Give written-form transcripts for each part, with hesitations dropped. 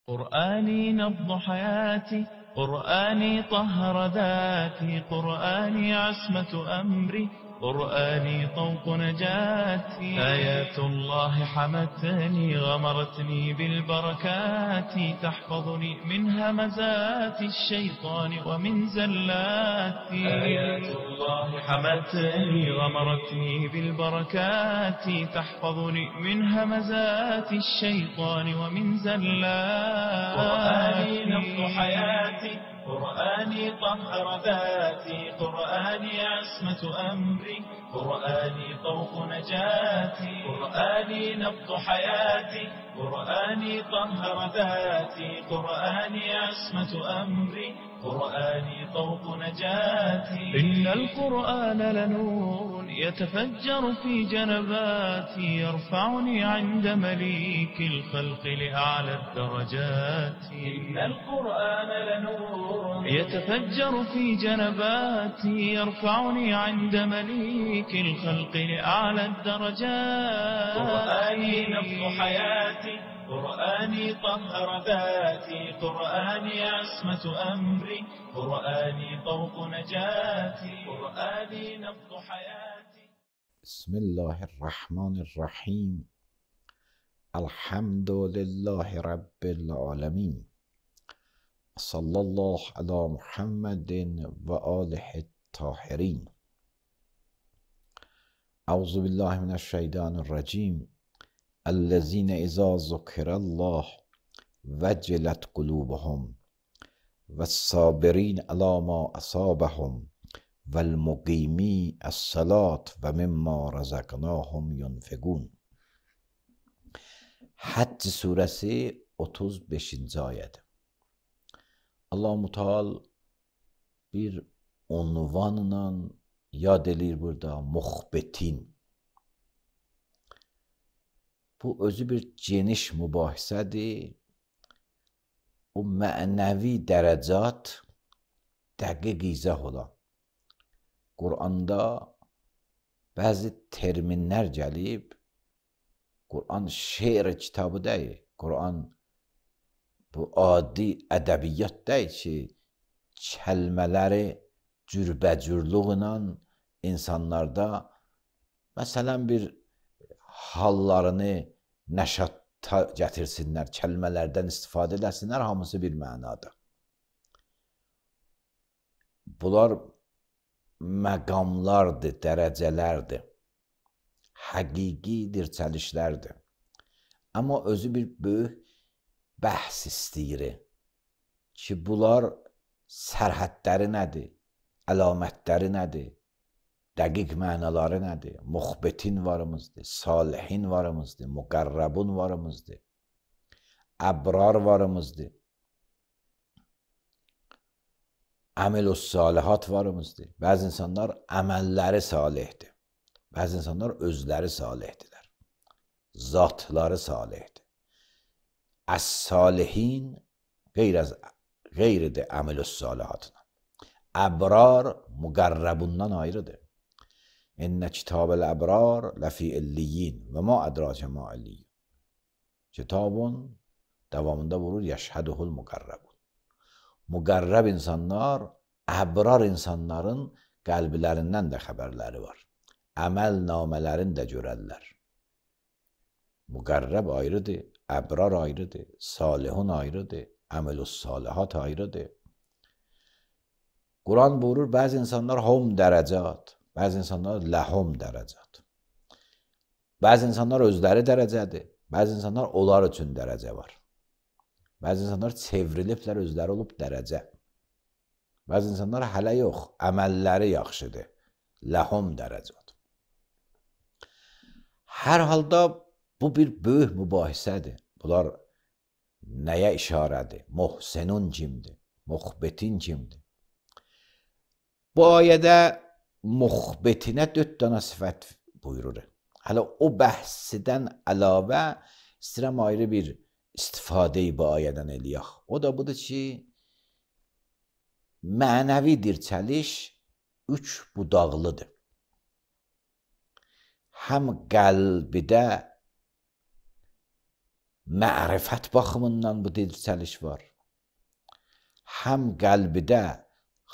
قرآني نبض حياتي، قرآني طهر ذاتي، قرآني عصمة أمري، قرآني طوق نجاتي. آيات الله حمتني غمرتني بالبركات، تحفظني من همزات الشيطان ومن زلاتي. آيات الله حمتني غمرتني بالبركات، تحفظني من همزات الشيطان ومن زلاتي. قرآني نبض حياتي، قرآني طهر ذاتي، قرآني عصمة أمري، قرآني طوق نجاتي. قرآني نبض حياتي، قرآني طهر ذاتي، قرآني عصمة أمري، قرآني طوق نجاتي. إن القرآن لنور يتفجر في جنباتي، يرفعني عند مليك الخلق لأعلى الدرجات. إن القرآن لنور يتفجر في جنباتي، يرفعني عند مليك الخلق لأعلى الدرجات. قرآني نبض حياتي، قرآني طهر ذاتي، قرآني عصمة أمري، قرآني طوق نجاتي. قرآني نبض حياتي. بسم الله الرحمن الرحیم. الحمد لله رب العالمین. صلی الله علی محمد و آله الطاهرین. اعوذ بالله من الشیطان الرجیم. الذين اذا ذكر الله وجلت قلوبهم والصابرين على ما اصابهم والمقیمی الصلاة و مما رزقناهم ينفقون. Həcc surəsi 35-ci ayədir. Allah-u Teala bir unvanla yad edir burada, muxbetin. Bu özü bir geniş mübahisədir. O mənəvi dərəcat dəqiq izah olan. Quranda bəzi terminlər gəlib. Quran şeir kitabı deyil. Quran bu adi ədəbiyyat deyil ki, kəlmələri cürbəcürlüğünə insanlarda məsələn bir hallarını nəşata gətirsinlər, kəlmələrdən istifadə eləsinlər, hamısı bir mənada. Bunlar məqamlardır, dərəcələrdir, həqiqi dirçəlişlərdir. Amma özü bir böyük bəhs istəyir ki, bunlar sərhədləri nədir, əlamətləri nədir, dəqiq mənaları nədir, muxbetin varımızdır, salihin varımızdır, müqərrəbun varımızdır, əbrar varımızdır, əməl-ü-salihat varımızdır. Bəzi insanlar əməlləri salihdir. Bəzi insanlar özləri salihdirlər. Zatları salihdir. Əs-salihin qeyridir əməl-ü-salihatına. Əbrar müqərrəbundan ayrıdır. İnnə kitab-əl-əbrar ləfi illiyyin və ma ədrakə ma illiyyin. Kitabın davamında vurur, yəşhəduhul müqərrəbun. Müqərrəb insanlar, əbrar insanların qəlblərindən də xəbərləri var. Əməl namələrini də görərlər. Müqərrəb ayrıdır, əbrar ayrıdır, salihun ayrıdır, əməl-ü-salihat ayrıdır. Quran buyurur, bəzi insanlar hum dərəcat, bəzi insanlar ləhum dərəcat. Bəzi insanlar özləri dərəcədir, bəzi insanlar onlar üçün dərəcə var. Bəzi insanlar çevriliblər, özləri olub dərəcə. Bəzi insanlar hələ yox, əməlləri yaxşıdır, ləhum dərəcat. Hər halda bu bir böyük mübahisədir. Bunlar nəyə işarədir? Muhsenun kimdir? Muxbetin kimdir? Bu ayədə muxbetinə 4 dənə sifət buyurur. Hələ o bəhsidən əlavə istəyirəm ayrı bir istifadə-i bu ayədən eləyək. O da budur ki, mənəvi dirçəliş 3 budaqlıdır. Həm qəlbidə mərifət baxımından bu dirçəliş var. Həm qəlbidə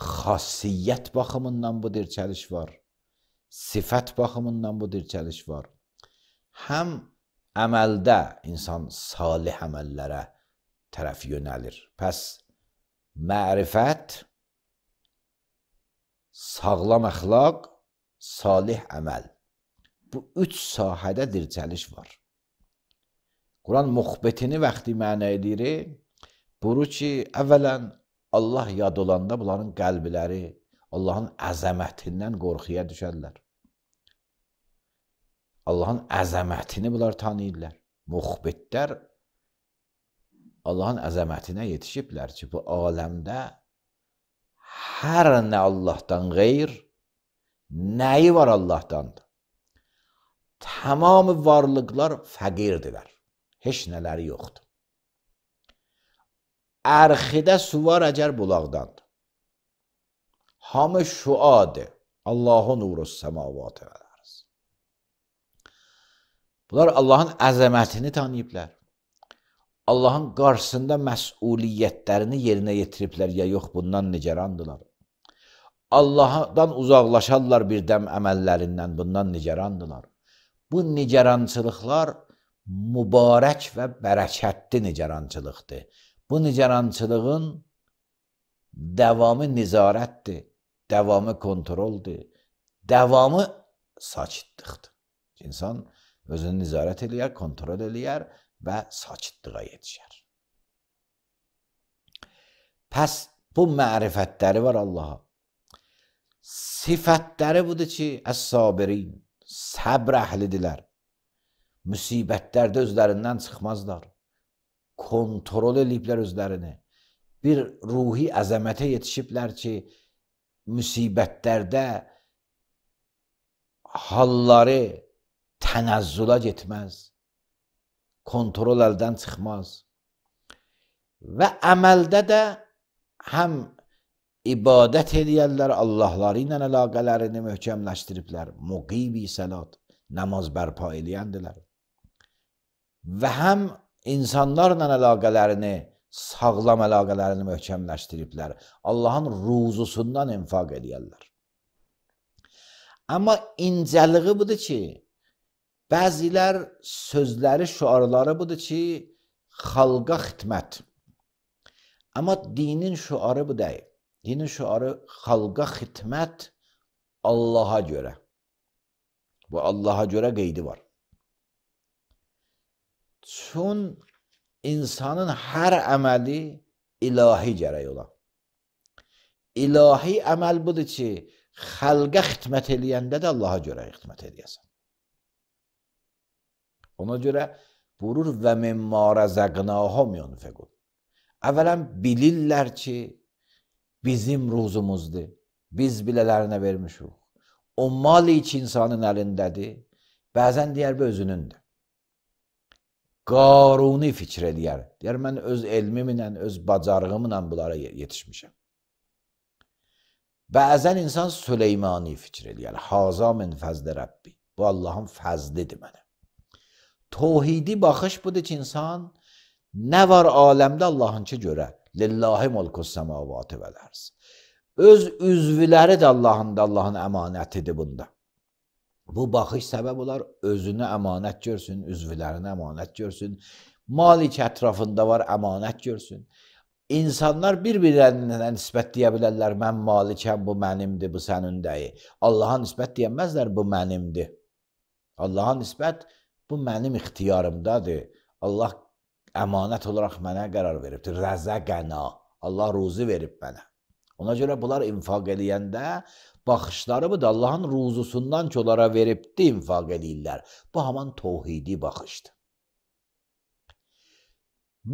xassiyyət baxımından bu dirçəliş var. Sifət baxımından bu dirçəliş var. Həm əməldə insan salih əməllərə tərəf yönəlir. Pəs mərifət, sağlam əxlaq, salih əməl. Bu üç sahədə dirçəliş var. Quran muxbetini vaxtı mənə edir, buyurur ki, əvvələn Allah yad olanda bunların qəlbləri Allahın əzəmətindən qorxuya düşərlər. Allahın əzəmətini bunlar tanıyırlar. Muxbetlər Allahın əzəmətinə yetişiblər ki, bu aləmdə hər nə Allahdan qeyr, nəyi var Allahdandır. Tamamı varlıqlar fəqirdirlər. Heç nələri yoxdur. Ərxidə su var əgər bulaqdandır. Hamı şuadır. Allahu nurus səmavatı və ərz. Bunlar Allahın əzəmətini tanıyıblar. Allahın qarşısında məsuliyyətlərini yerinə yetiriblər ya yox, bundan nigarandılar. Allahdan uzaqlaşarlar birdəm əməllərindən, bundan nigarandılar. Bu nigarançılıqlar mübarək və bərəkətli nigarançılıqdır. Bu nigarançılığın davamı nizarətdir, davamı kontroldur, davamı sakitlikdir. İnsan özünü nizarət eləyər, kontrol eləyər və sakitliyə yetişər. Pəs bu mərifətləri var Allaha. Sifətləri budur ki, əs-sabirin, səbr əhlidirlər. Müsibətlərdə özlərindən çıxmazlar. Kontrol eləyiblər özlərini. Bir ruhi əzəmətə yetişiblər ki, müsibətlərdə halları tənəzzülə getməz. Kontrol əldən çıxmaz. Və əməldə də həm ibadət edəyərlər, Allahları ilə əlaqələrini möhkəmləşdiriblər. Muqibi səlat, namaz bərpa eləyəndilər. Və həm insanlarla əlaqələrini, sağlam əlaqələrini möhkəmləşdiriblər. Allahın ruzusundan infaq edəyərlər. Amma incəliği budur ki, bəzilər sözləri, şüarları budur ki, xalqa xidmət. Amma dinin şüarı bu deyil. Dinin şüarı xalqa xidmət Allaha görə. Bu Allaha görə qeydi var. Çün insanın hər əməli ilahi gərək ola. İlahi əməl budur ki, xalqa xidmət eləyəndə də Allaha görə xidmət eləyəsən. Ona görə buyurur və mimma rəzəqnahum yunfiqun. Əvvələn bilirlər ki, bizim ruzumuzdur. Biz bilələrinə vermişik. O mal iki insanın əlindədir. Bəzən deyər bu özünündür. Qaruni fikir eləyər. Deyər, mən öz elmimlə, öz bacarığımla bunlara yetişmişəm. Bəzən insan Süleymani fikir eləyər. Haza min fəzli Rəbbi. Bu Allahın fəzlidir mənə. Tohidi baxış budur ki, insan nə var aləmdə Allahınki görə. Lillahi mulkus səmavatı vəl ərz. Öz üzvləri də Allahın əmanətidir bunda. Bu baxış səbəb olar, özünü əmanət görsün, üzvlərini əmanət görsün, malik ətrafında var, əmanət görsün. İnsanlar bir-birlərinə nisbət deyə bilərlər, mən malikəm, bu mənimdir, bu sənin deyil. Allaha nisbət deyəməzlər, bu mənimdir. Allaha nisbət, bu mənim ixtiyarımdadır. Allah əmanət olaraq mənə qərar veribdir. Rəzəqəna. Allah ruzu verib mənə. Ona görə bunlar infaq eləyəndə baxışları budur. Allahın ruzusundan ki, onlara veribdi, infaq eləyirlər. Bu haman tohidi baxışdır.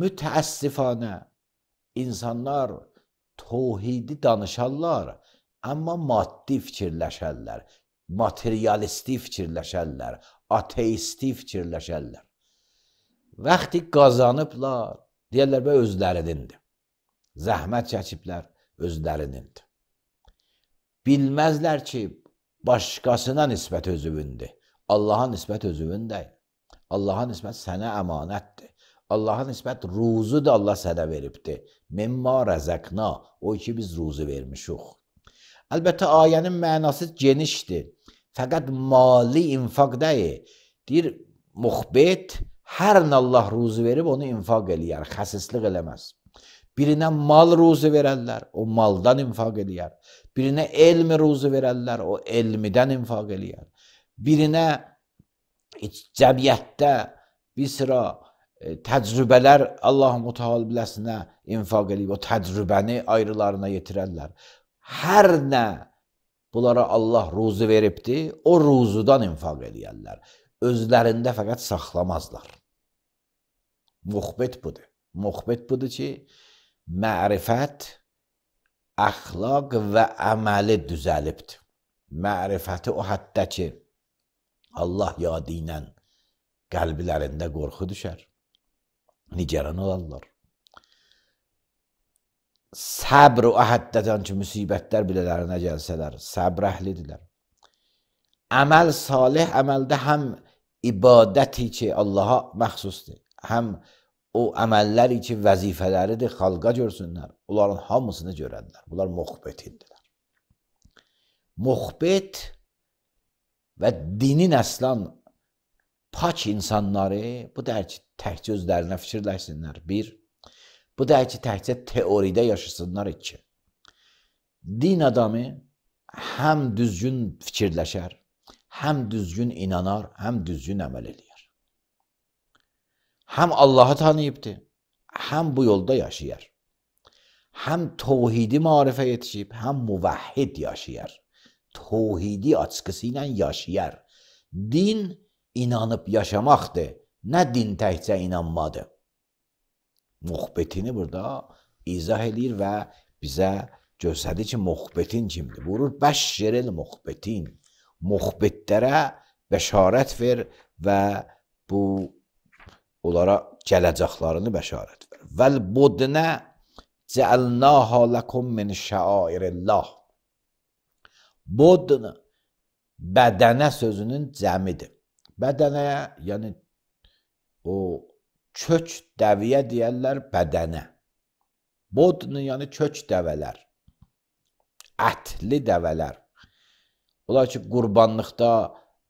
Mütəəssifanə insanlar tohidi danışarlar, amma maddi fikirləşərlər, materialisti fikirləşərlər, ateisti fikirləşərlər. Vaxtı qazanıblar, deyərlər, bu özlərinindir. Zəhmət çəkiblər, özlərinindir. Bilməzlər ki, başqasına nisbət özüvündür. Allaha nisbət özüvündür. Allaha nisbət sənə əmanətdir. Allaha nisbət ruzu da Allah sənə veribdir. Mimma rəzəqna, o ki biz ruzu vermişik. Əlbəttə ayənin mənası genişdir. Fəqət mali infaq deyil. Deyir, muxbet hər nə Allah ruzu verib onu infaq eləyər, xəsislik eləməz. Birinə mal ruzu verərlər, o maldan infaq eləyər. Birinə elm ruzu verərlər, o elmidən infaq eləyər. Birinə cəmiyyətdə bir sıra təcrübələr Allah-u Teala biləsinə infaq eləyib, o təcrübəni ayrılarına yetirərlər. Hər nə bunlara Allah ruzu veribdir, o ruzudan infaq eləyərlər. Özlərində fəqət saxlamazlar. Muxbet budur. Muxbet budur ki, mərifət, əxlaq və əməli düzəlibdir. Mərifəti o həddə ki, Allah yadı ilə qəlblərində qorxu düşər, nigaran olarlar. Səbr o həddədən ki, müsibətlər bilələrinə gəlsələr, səbr əhlidirlər. Əməl salih, əməldə həm ibadəti ki, Allaha məxsusdur, həm o əməlləri ki, vəzifələridir, xalqa görsünlər, onların hamısını görərlər. Bunlar muxbetindirlər. Muxbet və dinin əslan pak insanları, bu deyir ki, təkcə özlərinə fikirləşsinlər, bir. Bu deyir ki, təkcə teoridə yaşasınlar, iki. Din adamı həm düzgün fikirləşər, həm düzgün inanar, həm düzgün əməl eləyər. Həm Allahı tanıyıbdır, həm bu yolda yaşayar. Həm tevhidi marifə yetişib, həm muvahhid yaşayar. Tevhidi açıqısı ilə yaşayar. Din inanıb yaşamaqdır, nə din təkcə inanmadır. Muxbetini burada izah edir və bizə göstərir ki, muxbetin kimdir? Buyurur, bəşşiril muxbetin. Muxbetlərə bəşarət ver və bu onlara gələcəklərini bəşarət ver. Vəl budnə cəəlnəha ləkum min şəairillah. Budn bədənə sözünün cəmidir. Bədənəyə, yəni o kök dəviyə deyərlər bədənə. Budn yəni kök dəvələr, ətli dəvələr. Olar ki, qurbanlıqda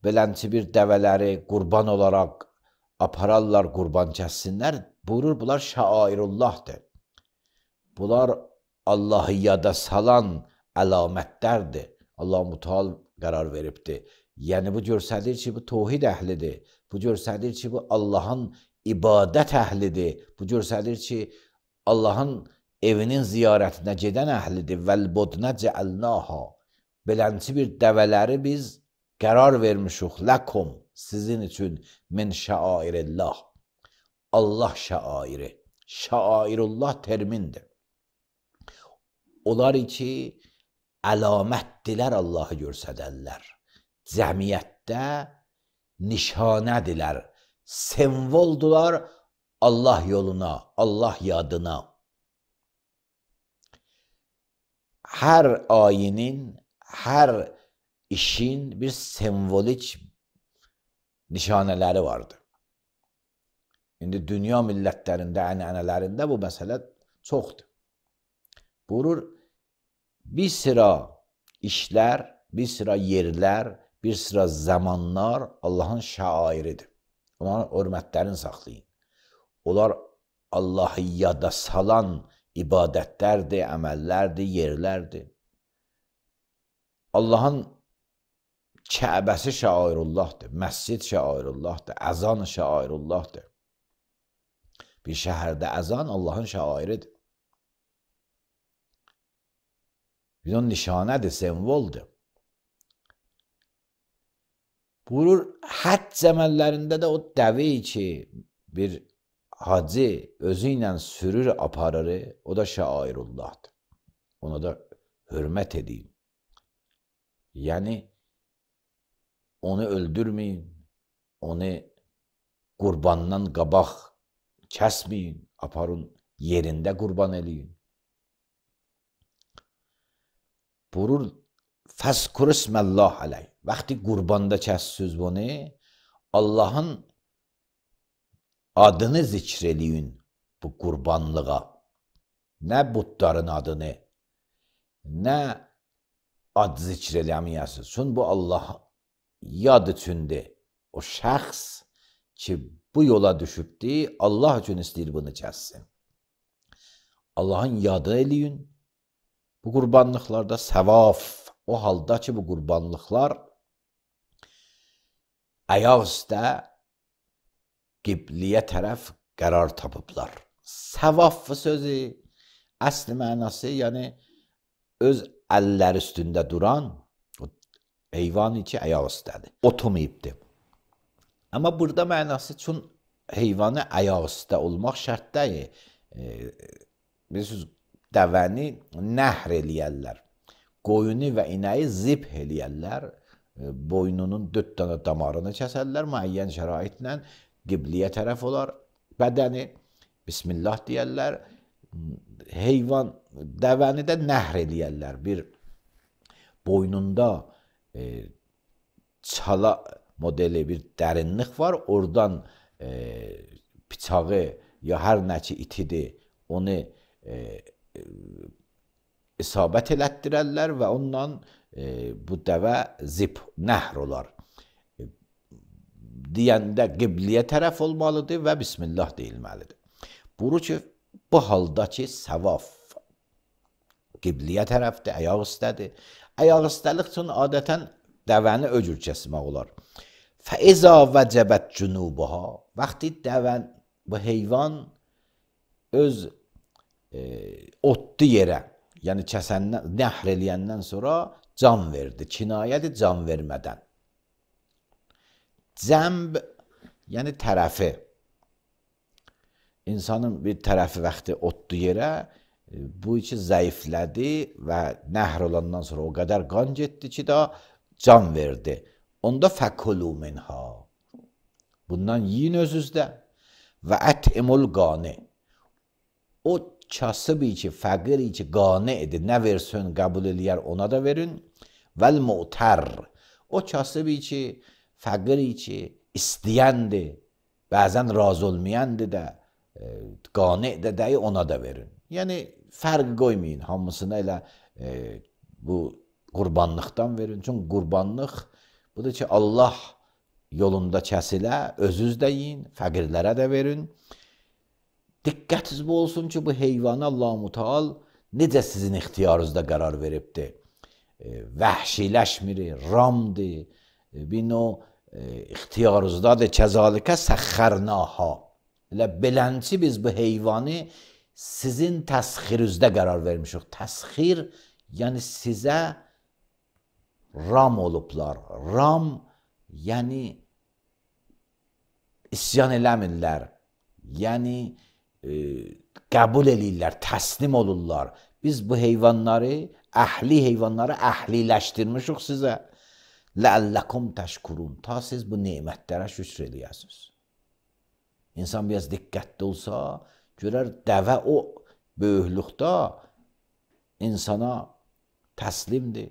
belənçi bir dəvələri qurban olaraq apararlar, qurban kəssinlər. Buyurur, bunlar şəairullahdır. Bunlar Allahı yada salan əlamətlərdir. Allah-u Teala qərar veribdir. Yəni, bu göstərir ki, bu tevhid əhlidir. Bu göstərir ki, bu Allahın ibadət əhlidir. Bu göstərir ki, Allahın evinin ziyarətinə gedən əhlidir. Vəl-budnə cəəlnəha. Belənçi bir dəvələri biz qərar vermişik. Ləkum, sizin üçün min şəairillah. Allah şəairi. Şəairullah termindir. Onlar ki, əlamətdilər Allahı görsədərlər. Cəmiyyətdə nişanədirlər. Semvoldular Allah yoluna, Allah yadına. Hər ayinin, hər işin bir semvolik nişanələri vardır. İndi dünya millətlərində, ənənələrində bu məsələ çoxdur. Buyurur, bir sıra işlər, bir sıra yerlər, bir sıra zamanlar Allahın şəairidir. Onların hörmətlərini saxlayın. Onlar Allahı yada salan ibadətlərdir, əməllərdir, yerlərdir. Allahın Kəbəsi şəairullahdır, məscid şəairullahdır, əzan şəairullahdır. Bir şəhərdə əzan Allahın şəairidir. Bir onun nişanədir, semvoldur. Buyurur, həcc əməllərində də o dəvi ki, bir hacı özü ilə sürür, aparır, o da şəairullahdır. Ona da hörmət edin. Yəni, onu öldürməyin, onu qurbandan qabaq kəsməyin, aparın, yerində qurban eləyin. Buyurur, fəzkur isməllah aleyh. Vaxtı qurbanda kəssiz bunu, Allahın adını zikr eləyin bu qurbanlığa. Nə butların adını, nə ad zikr eləməyəsiniz. Çünki bu Allah yad üçündür. O şəxs ki bu yola düşübdür, Allah üçün istəyir bunu kəssin. Allahın yadı eləyin. Bu qurbanlıqlarda səvaf. O halda ki bu qurbanlıqlar ayaq üstə qibliyə tərəf qərar tapıblar. Səvaf sözü əsli mənası, yəni öz əllər üstündə duran o heyvan ki ayaq üstədir. Oturmayıbdır. Amma burada mənası üçün heyvanı ayaq üstə olmaq şərt deyil. Bilirsiniz, dəvəni nəhr eləyərlər. Qoyunu və inəyi zib eləyərlər. Boynunun 4 dənə damarını kəsərlər. Müəyyən şəraitlə qibliyə tərəf olar. Bədəni Bismillah deyərlər. Heyvan, dəvəni də nəhr eləyərlər. Bir boynunda çala modeli bir dərinlik var. Oradan bıçağı ya hər nə ki itidir, onu isabət elətdirərlər və ondan bu dəvə zib, nəhr olar. Deyəndə qibliyə tərəf olmalıdır və Bismillah deyilməlidir. Buru ki, bu haldakı səvaf qibliyə tərəfdir, ayaq üstədir. Ayaq üstəlik üçün adətən dəvəni öcür kəsmək olar. Fəizə vəcəbət cünubuha. Vaxtı dəvən, bu heyvan öz otdu yerə, yəni kəsəndən, nəhr eləyəndən sonra can verdi. Kinayədir can vermədən. Cəmb, yəni tərəfi. İnsanın bir tərəfi vaxtı otdu yerə, bu iki zəiflədi və nəhr olandan sonra o qədər qan getdi ki, da can verdi. Onda fəkulu minha. Bundan yiyin özünüzdə. Və ət'imul qani. O kasıbi ki, fəqiri ki, qani edir, nə versin, qəbul eləyər, ona da verin. Vəl mu'tər. O kasıbi ki, fəqiri ki, istəyəndir, bəzən razı olmayandır da, qani də dəyi, ona da verin. Yəni, fərq qoymayın, hamısına elə bu qurbanlıqdan verin. Çünki qurbanlıq budur ki, Allah yolunda kəsilə, özünüz də yiyin, fəqirlərə də verin. Diqqətiniz bu olsun ki, bu heyvanı Allah-u Teala necə sizin ixtiyarınızda qərar veribdir. Vəhşiləşmir, ramdır, bin o ixtiyarınızdadır, kəzalikə səxxərnaha. Elə belənci biz bu heyvanı sizin təsxirinizdə qərar vermişik. Təsxir, yəni sizə ram olublar. Ram, yəni isyan eləmirlər. Yəni qəbul eləyirlər, təslim olurlar. Biz bu heyvanları, əhli heyvanları əhliləşdirmişik sizə. Ləəlləkum təşkurun. Ta siz bu nemətlərə şükr eləyəsiniz. İnsan biraz diqqətli olsa, görər dəvə o böyüklükdə insana təslimdir.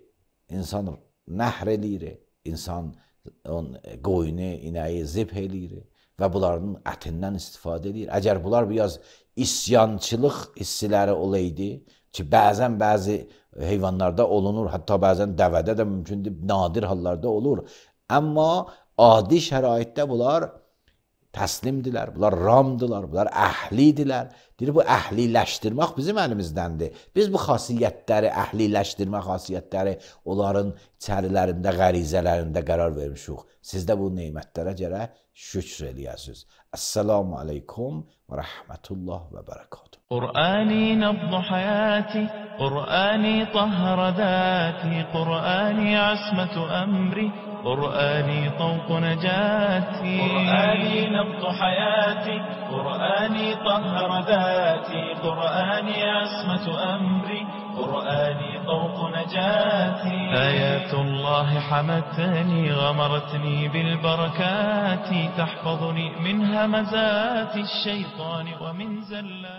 İnsan nəhr eləyir, insan qoyunu, inəyi zib eləyir və bunların ətindən istifadə edir. Əgər bunlar biraz isyançılıq hissiləri olaydı, ki bəzən bəzi heyvanlarda olunur, hətta bəzən dəvədə də mümkündür, nadir hallarda olur. Amma adi şəraitdə bunlar təslimdilər, bunlar ramdılar, bunlar əhlidirlər. Deyir, bu əhliləşdirmək bizim əlimizdəndir. Biz bu xasiyyətləri, əhliləşdirmə xasiyyətləri onların içərilərində, qərizələrində qərar vermişik. Siz də bu neymətlərə gərək şükr eləyəsiniz. Əssalamu aleykum və rəhmətullah və bərəkatuhu. قرآني نبض حياتي قرآني طهر ذاتي قرآني عصمة أمري قرآني طوق نجاتي قرآني نبض حياتي قرآني طهر ذاتي قرآني عصمة أمري قرآني طوق نجاتي آيات الله حمتني غمرتني بالبركات تحفظني من همزات الشيطان ومن زلات